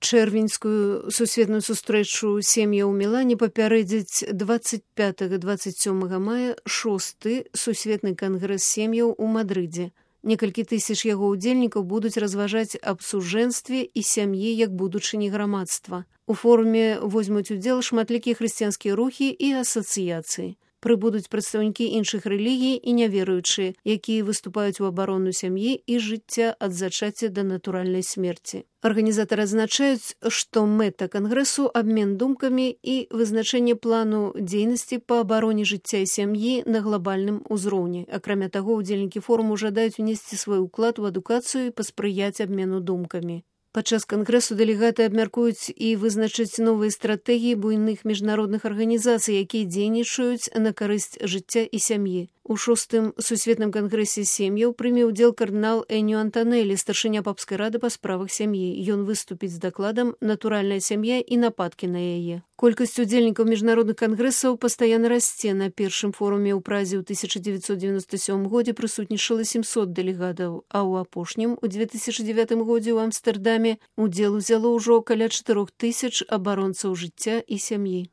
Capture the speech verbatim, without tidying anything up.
Чэрвеньскую сусветную сустрэчу сем'яў у Мілане папярэдзіць дваццаць пятага - дваццаць сёмага мая шосты сусветны кангрэс сем'яў у Мадрыдзе. Некалькі тысяч яго ўдзельнікаў будуць разважаць аб сужэнстве і сям'і як будучыні грамадства. У форуме возьмуць удзел шматлікія хрысціянскія рухі і асацыяцыі. Прыбудуць прадстаўнікі іншых рэлігій і няверуючыя, якія выступаюць у абарону сям'і і жыцця ад зачацця да натуральнай смерці. Арганізатары адзначаюць, што мэта кангрэсу – абмен думкамі і вызначэнне плану дзейнасці па абароне жыцця і сям'і на глабальным узроўні. Акрамя таго, удзельнікі форуму жадаюць унесці свой уклад у адукацыю і паспрыяць абмену думкамі. Падчас кангрэсу дэлегаты абмяркуюць і вызначаць новыя стратэгіі буйных міжнародных арганізацый, якія дзейнічаюць на карысць жыцця і сям'і. У шостым сусветным кангрэсе сем'яў прыме ўдзел кардынал Эніо Антанелі, старшыня папскай рады па справах сям'і. Ён выступіць з дакладам «Натуральная сям'я і нападкі на яе». Колькасць удзельнікаў міжнародных кангрэсаў пастаянна расце. На першым форуме ў Празе ў тысяча дзевяцьсот дзевяносто сёмым годзе прысутнічала сямсот дэлегатаў, а ў апошнім у дзве тысячы дзевятым годзе ў Амстэрдаме удзел узяло ўжо каля чатырох тысяч абаронцаў жыцця і сям'і.